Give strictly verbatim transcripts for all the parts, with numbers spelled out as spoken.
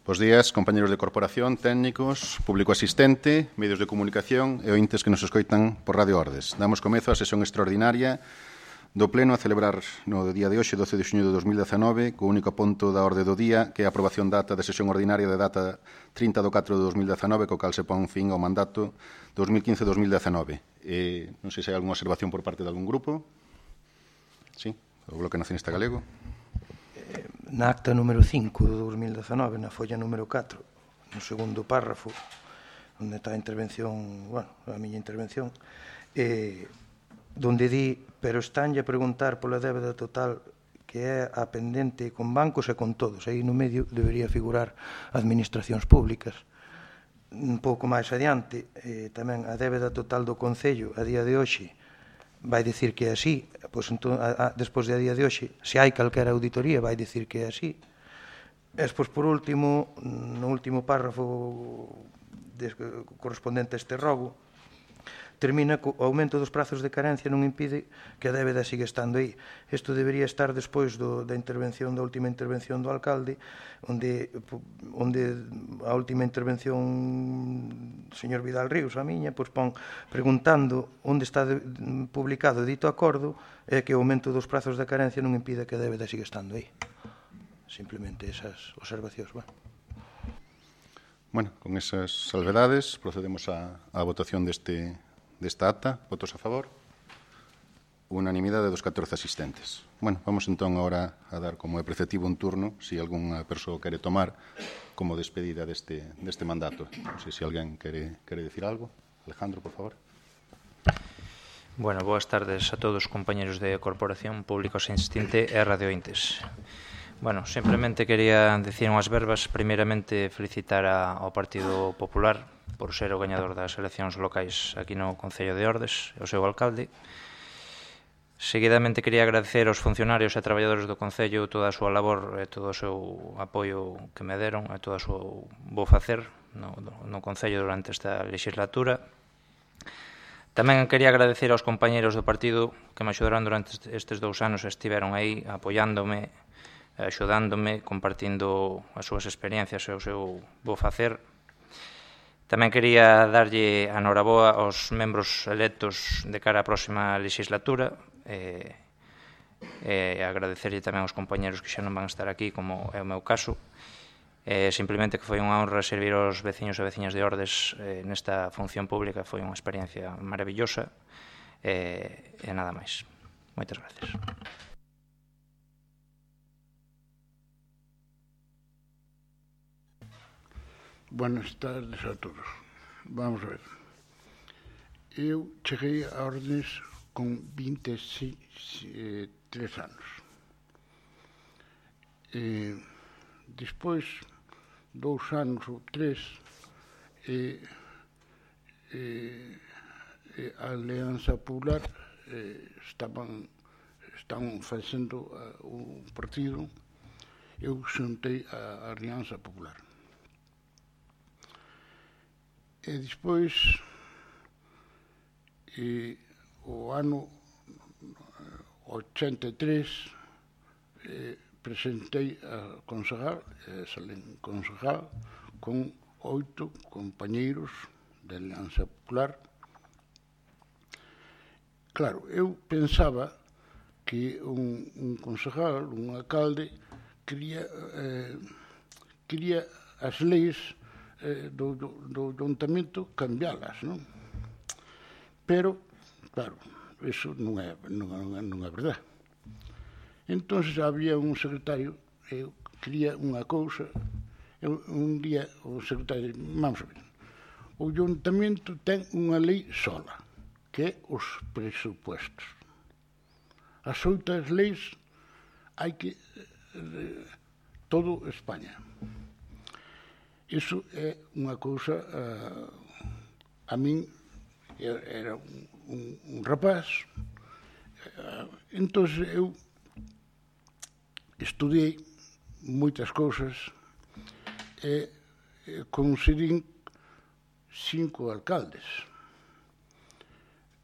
Bos días, compañeros de corporación, técnicos, público asistente, medios de comunicación e ointes que nos escoitan por Radio Ordes. Damos comezo á sesión extraordinaria do Pleno a celebrar no día de hoxe, doce de xuño de dos mil dezanove, co único punto da orde do día, que é a aprobación da ata de sesión ordinaria de data trinta de catro de dos mil dezanove, co cal se pon fin ao mandato dos mil quince a dos mil dezanove. Eh, non sei se hai algunha observación por parte de algún grupo. Sí, o Bloque Nacionalista Galego. Na acta número cinco de dos mil dezanove, na folla número catro, no segundo párrafo, onde está a intervención, bueno, a miña intervención, eh, donde di, pero estanlle a preguntar pola débeda total que é a pendente con bancos e con todos. Aí no medio debería figurar administracións públicas. Un pouco máis adiante, eh, tamén a débeda total do Concello a día de hoxe vai dicir que é así, pois entón, a, a, despois de a día de hoxe, se hai calquera auditoría, vai dicir que é así. E despois, por último, no último párrafo de, correspondente a este rogo, termina co aumento dos prazos de carencia non impide que a débeda siga estando aí. Isto debería estar despois do, da intervención, da última intervención do alcalde, onde, onde a última intervención do señor Vidal Ríos, a miña, pois pon preguntando onde está de, publicado dito acordo e que o aumento dos prazos de carencia non impide que a débeda siga estando aí. Simplemente esas observacións. Bueno, bueno con esas salvedades procedemos á votación deste desta ata. Votos a favor? Unanimidade dos catorce asistentes. Bueno, vamos entón agora a dar como é preceptivo un turno, se si algunha persoa quere tomar como despedida deste, deste mandato. Non sei se alguén quere, quere decir algo. Alejandro, por favor. Bueno, boas tardes a todos os compañeros de Corporación, Público Asistente e radiointes. Bueno, simplemente quería decir unhas verbas. Primeiramente, felicitar a, ao Partido Popular por ser o gañador das eleccións locais aquí no Concello de Ordes, o seu alcalde. Seguidamente, quería agradecer aos funcionarios e traballadores do Concello toda a súa labor e todo o seu apoio que me deron e todo o seu bo facer no, no Concello durante esta legislatura. Tamén quería agradecer aos compañeros do partido que me axudaron durante estes dous anos e estiveron aí apoiándome, axudándome, compartindo as súas experiencias e o seu bo facer. Tamén quería darlle a noraboa aos membros electos de cara á próxima legislatura e, e agradecerlle tamén aos compañeros que xa non van a estar aquí, como é o meu caso. E simplemente que foi unha honra servir aos veciños e veciñas de Ordes eh, nesta función pública. Foi unha experiencia maravillosa e, e nada máis. Moitas gracias. Buenas tardes a todos. Vamos a ver. Eu cheguei a Ordes con vinte e tres anos. E despois, dous anos ou tres, e, e, e a Alianza Popular e, estaban, estaban facendo uh, un partido. Eu xuntei a Alianza Popular. E despois, e, o ano ochenta e tres, e, presentei a concejal, e salín concejal, con oito compañeiros da Alianza Popular. Claro, eu pensaba que un, un concejal, un alcalde, quería, eh, quería as leis Do, do, do ayuntamento cambialas, non? Pero, claro, eso non é, non, non é verdade. Entón, había un secretario, eu quería unha cousa, eu, un día o secretario, vamos a ver, o ayuntamento ten unha lei sola, que é os presupuestos. As outras leis hai que, eh, todo España. Iso é unha cousa, uh, a min era un, un, un rapaz, uh, entón eu estudei moitas cousas e, e conseguín cinco alcaldes.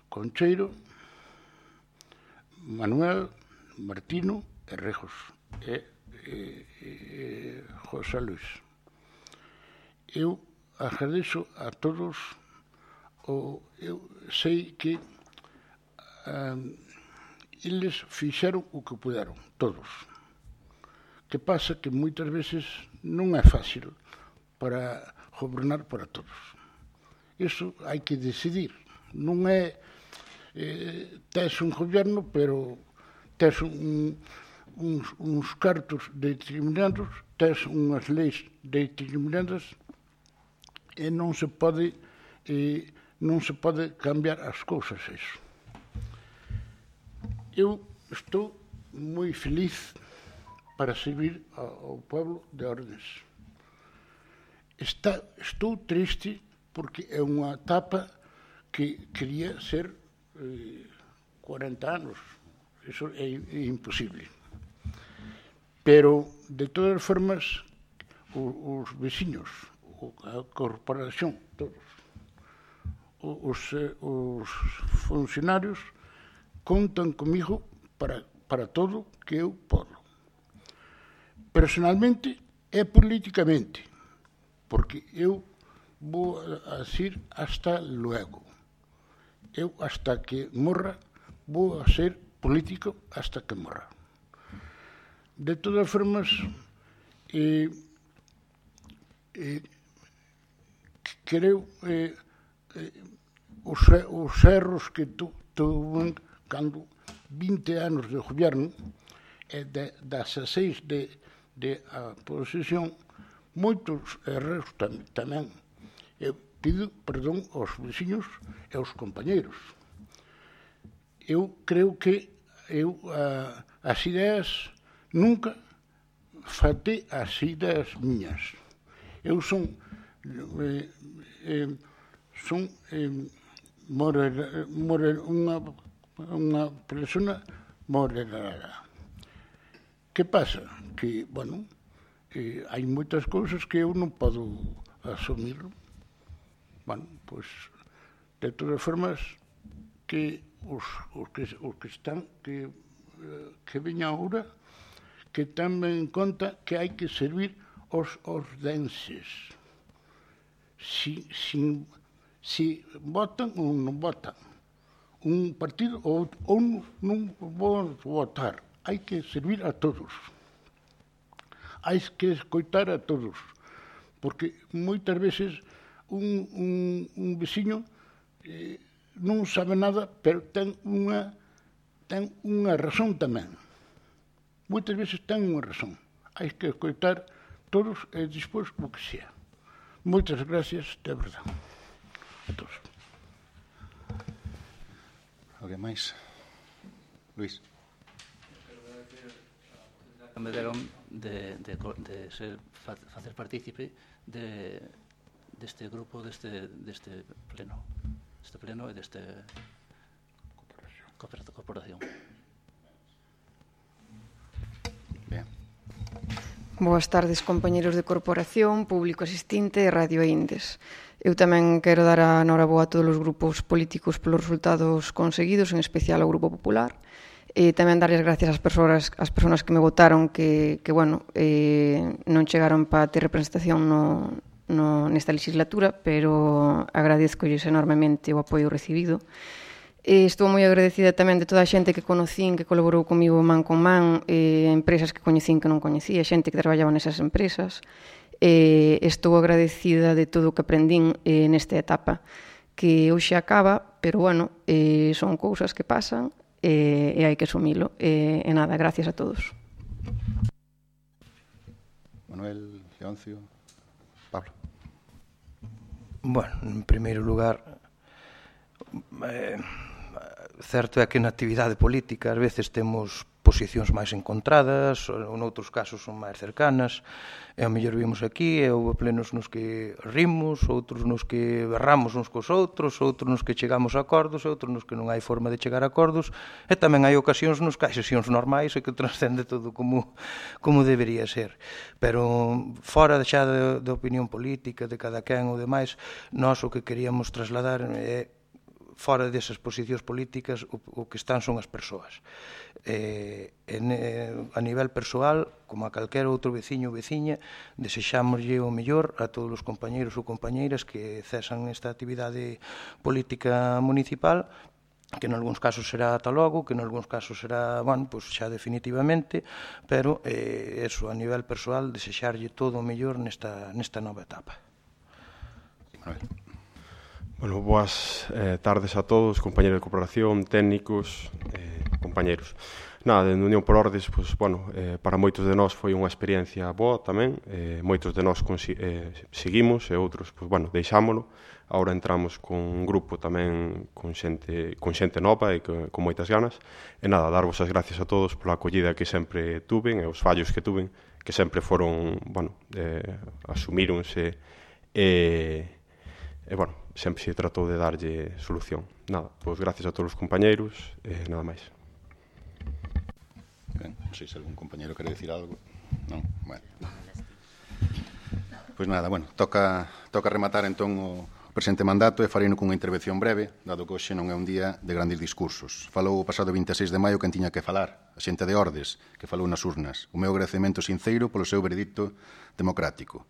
Concheiro, Manuel, Martino e Rejos e, e, e José Luis. eu agradeço a todos, o, eu sei que um, eles fixeron o que puderon, todos. Que pasa que moitas veces non é fácil para gobernar para todos. Iso hai que decidir. Non é eh, tes un goberno, pero tes un, uns, uns cartos determinados, tes unhas leis determinadas e non se pode eh, non se pode cambiar as cousas iso. Eu estou moi feliz para servir ao pueblo de Ordes. Está, estou triste porque é unha etapa que quería ser eh, cuarenta anos. Eso é, é imposible. Pero, de todas formas, os, os veciños, a corporación, todos, os, os funcionarios contan comigo para, para todo que eu podo. Personalmente e políticamente, porque eu vou a decir hasta luego. Eu, hasta que morra, vou a ser político hasta que morra. De todas formas, eh, eh, creo eh, eh, os, os erros que tu, tuve cando vinte anos de goberno e de, das seis de de a posesión, moitos erros tam, tamén. Eu pido perdón aos veciños e aos compañeiros. Eu creo que eu a, as ideas nunca faltei as ideas miñas. Eu son eh, eh, son eh, morer, morer, unha, unha persona moderada. Que pasa? Que, bueno, eh, hai moitas cousas que eu non podo asumir. Bueno, pois, de todas formas, que os, os, que, os que están, que, que veñan agora, que tamén en conta que hai que servir os ordenses. Si, si, si votan ou non votan un partido ou, ou non vou votar, hai que servir a todos. Hai que escoitar a todos. Porque moitas veces un, un, un veciño eh, non sabe nada, pero ten unha, ten unha razón tamén. Moitas veces ten unha razón. Hai que escoitar todos e despois o que sea. Moitas gracias, de verdade. A todos. Alguén máis? Luís. Que me deron de, de, de ser, facer partícipe de, deste grupo, deste, deste pleno. Deste pleno e deste corporación. corporación. Bien. Boas tardes, compañeros de corporación, público asistente e Radio Indes. Eu tamén quero dar a noraboa a todos os grupos políticos pelos resultados conseguidos, en especial ao Grupo Popular. E tamén darles gracias ás persoas, ás persoas que me votaron que, que bueno, eh, non chegaron para ter representación no, no, nesta legislatura, pero agradezcolles enormemente o apoio recibido. E estou moi agradecida tamén de toda a xente que conocín, que colaborou comigo man con man, eh, empresas que coñecín que non coñecía, xente que traballaba nesas empresas. E estou agradecida de todo o que aprendín eh, nesta etapa, que hoxe acaba, pero bueno, eh, son cousas que pasan, e, e hai que asumilo. E, e nada, gracias a todos. Manuel, Leoncio, Pablo. Bueno, en primeiro lugar, eh, certo é que na actividade política ás veces temos posicións máis encontradas, ou noutros casos son máis cercanas, e ao mellor vimos aquí, e houve plenos nos que rimos, outros nos que berramos uns cos outros, outros nos que chegamos a acordos, outros nos que non hai forma de chegar a acordos, e tamén hai ocasións nos que hai sesións normais e que transcende todo como, como debería ser. Pero fora xa de, de opinión política, de cada quen ou demais, nós o que queríamos trasladar é fora desas posicións políticas o, o que están son as persoas. Eh, en, eh, a nivel persoal, como a calquera outro veciño ou veciña, desexámoslle o mellor a todos os compañeiros ou compañeiras que cesan esta actividade política municipal, que en algúns casos será ata logo, que en algúns casos será, bueno, pues xa definitivamente, pero eh, eso, a nivel persoal, desexarlle todo o mellor nesta, nesta nova etapa. Bueno, boas eh, tardes a todos, compañeros de cooperación, técnicos, eh, compañeros. Nada, de Unión por Ordes, pues, bueno, eh, para moitos de nós foi unha experiencia boa tamén, eh, moitos de nós eh, seguimos e outros, pues, bueno, deixámolo. Ahora entramos con un grupo tamén con xente, con xente nova e con, con moitas ganas. E nada, darvos as gracias a todos pola acollida que sempre tuven e os fallos que tuven, que sempre foron, bueno, eh, asumíronse e, e, bueno, sempre se tratou de darlle solución. Nada, pois gracias a todos os compañeiros e nada máis. Ben, non sei se algún compañeiro quere decir algo. Non? Bueno. Pois nada, bueno, toca, toca rematar entón o presente mandato e fareino cunha intervención breve, dado que hoxe non é un día de grandes discursos. Falou o pasado vinte e seis de maio quen tiña que falar, a xente de Ordes, que falou nas urnas. O meu agradecemento sinceiro polo seu veredicto democrático.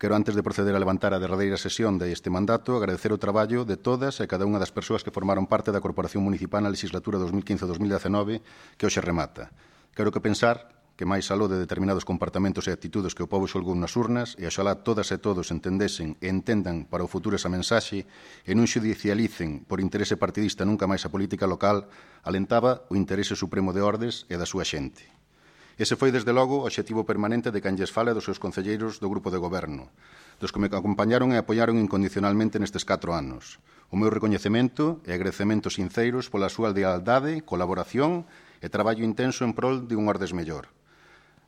Quero, antes de proceder a levantar a derradeira sesión deste mandato, agradecer o traballo de todas e cada unha das persoas que formaron parte da Corporación Municipal na legislatura dos mil quince a dos mil dezenove que hoxe remata. Quero que pensar que máis aló de determinados comportamentos e actitudes que o povo xolgou nas urnas, e oxalá todas e todos entendesen e entendan para o futuro esa mensaxe e non xudicialicen por interese partidista nunca máis a política local, alentaba o interese supremo de Ordes e da súa xente. Ese foi, desde logo, o obxectivo permanente de quen lles fala dos seus concelleiros do grupo de goberno, dos que me acompañaron e apoiaron incondicionalmente nestes catro anos. O meu recoñecemento e agradecementos sinceiros pola súa lealdade, colaboración e traballo intenso en prol de un Ordes mellor.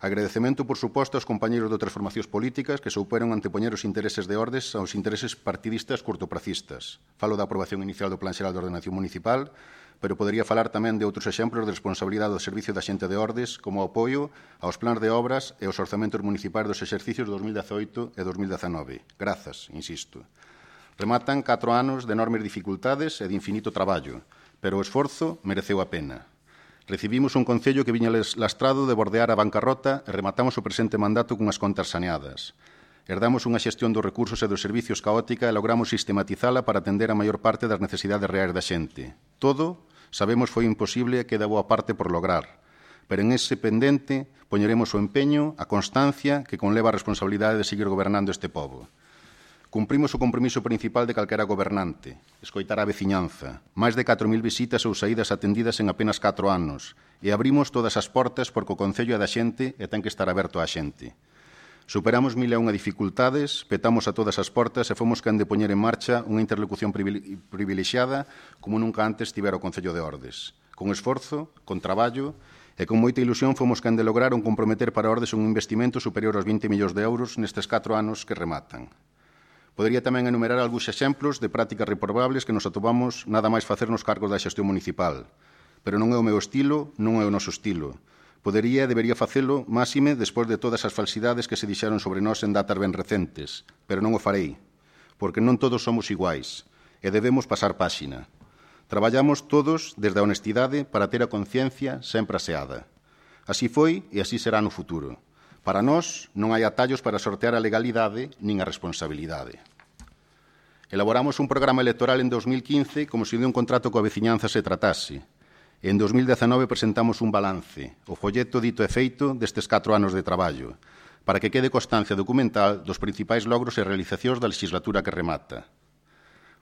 Agradecemento, por suposto, aos compañeiros de outras formacións políticas que souperon antepoñer os intereses de Ordes aos intereses partidistas cortopracistas. Falo da aprobación inicial do Plan Xeral de Ordenación Municipal, pero podería falar tamén de outros exemplos de responsabilidade do Servicio da Xente de Ordes, como o apoio aos plans de obras e aos orzamentos municipais dos exercicios dos mil dezaoito e dos mil dezenove. Grazas, insisto. Rematan catro anos de enormes dificultades e de infinito traballo, pero o esforzo mereceu a pena. Recibimos un concello que viña lastrado de bordear a bancarrota e rematamos o presente mandato cunhas contas saneadas. Herdamos unha xestión dos recursos e dos servicios caótica e logramos sistematizala para atender a maior parte das necesidades reais da xente. Todo, sabemos, foi imposible e queda boa parte por lograr. Pero en ese pendente poñeremos o empeño, a constancia que conleva a responsabilidade de seguir gobernando este pobo. Cumprimos o compromiso principal de calquera gobernante, escoitar a veciñanza, máis de catro mil visitas ou saídas atendidas en apenas catro anos, e abrimos todas as portas porque o Concello é da xente e ten que estar aberto á xente. Superamos mil e unha dificultades, petamos a todas as portas e fomos quen de poñer en marcha unha interlocución privilexiada como nunca antes tivera o Concello de Ordes. Con esforzo, con traballo e con moita ilusión fomos quen de lograr un comprometer para Ordes un investimento superior aos vinte millóns de euros nestes catro anos que rematan. Podería tamén enumerar algúns exemplos de prácticas reprobables que nos atopamos nada máis facer nos cargos da xestión municipal. Pero non é o meu estilo, non é o noso estilo. Podería e debería facelo máxime despois de todas as falsidades que se dixeron sobre nós en datas ben recentes, pero non o farei, porque non todos somos iguais e debemos pasar páxina. Traballamos todos desde a honestidade para ter a conciencia sempre aseada. Así foi e así será no futuro. Para nós non hai atallos para sortear a legalidade nin a responsabilidade. Elaboramos un programa electoral en dos mil quince como se de un contrato coa veciñanza se tratase. En dos mil dezenove presentamos un balance, o folleto dito e feito destes catro anos de traballo, para que quede constancia documental dos principais logros e realizacións da legislatura que remata.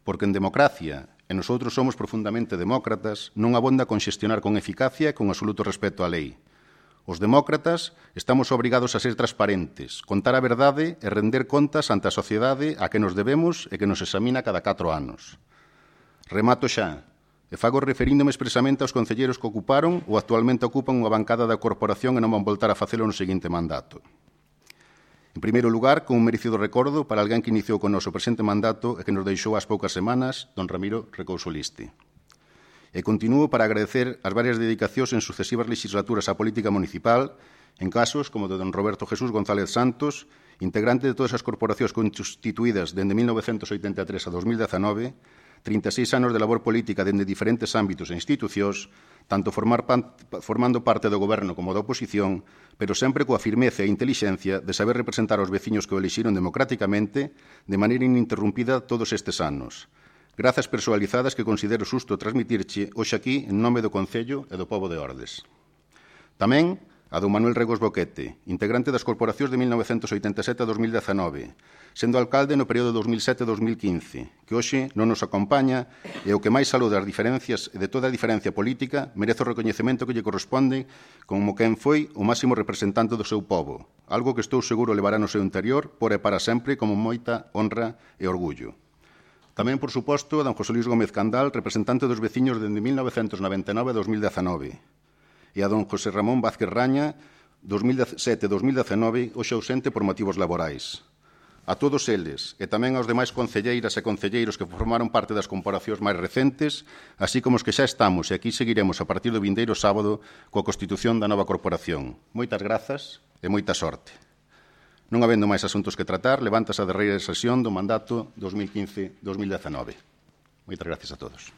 Porque en democracia, e nosotros somos profundamente demócratas, non abonda con xestionar con eficacia e con absoluto respeto á lei. Os demócratas estamos obrigados a ser transparentes, contar a verdade e render contas ante a sociedade a que nos debemos e que nos examina cada catro anos. Remato xa, e fago referíndome expresamente aos concelleiros que ocuparon ou actualmente ocupan unha bancada da corporación e non van voltar a facelo no seguinte mandato. En primeiro lugar, con un merecido recordo para alguén que iniciou con noso presente mandato e que nos deixou ás poucas semanas, don Ramiro Recouso Liste. E continuo para agradecer as varias dedicacións en sucesivas legislaturas á política municipal, en casos como o de don Roberto Jesús González Santos, integrante de todas as corporacións constituídas dende mil novecentos oitenta e tres a dos mil dezenove, trinta e seis anos de labor política dende diferentes ámbitos e institucións, tanto formar pan, formando parte do goberno como da oposición, pero sempre coa firmeza e intelixencia de saber representar aos veciños que o elixiron democráticamente de maneira ininterrumpida todos estes anos. Grazas persoalizadas que considero xusto transmitirche hoxe aquí en nome do Concello e do pobo de Ordes. Tamén a do Manuel Regos Boquete, integrante das corporacións de mil novecentos oitenta e sete a dos mil dezanove, sendo alcalde no período dos mil sete a dos mil quince, que hoxe non nos acompaña e o que máis aló das diferencias e de toda a diferencia política merece o recoñecemento que lle corresponde como quen foi o máximo representante do seu pobo, algo que estou seguro levará no seu interior por e para sempre como moita honra e orgullo. Tamén, por suposto, a don José Luis Gómez Candal, representante dos veciños dende mil novecentos noventa e nove a dos mil dezanove, e a don José Ramón Vázquez Raña, dos mil sete a dos mil dezanove, hoxe ausente por motivos laborais. A todos eles, e tamén aos demais concelleiras e concelleiros que formaron parte das comparacións máis recentes, así como os que xa estamos e aquí seguiremos a partir do vindeiro sábado coa constitución da nova corporación. Moitas grazas e moita sorte. Non habendo máis asuntos que tratar, levántase a derreira sesión do mandato dos mil quince a dos mil dezanove. Moitas gracias a todos.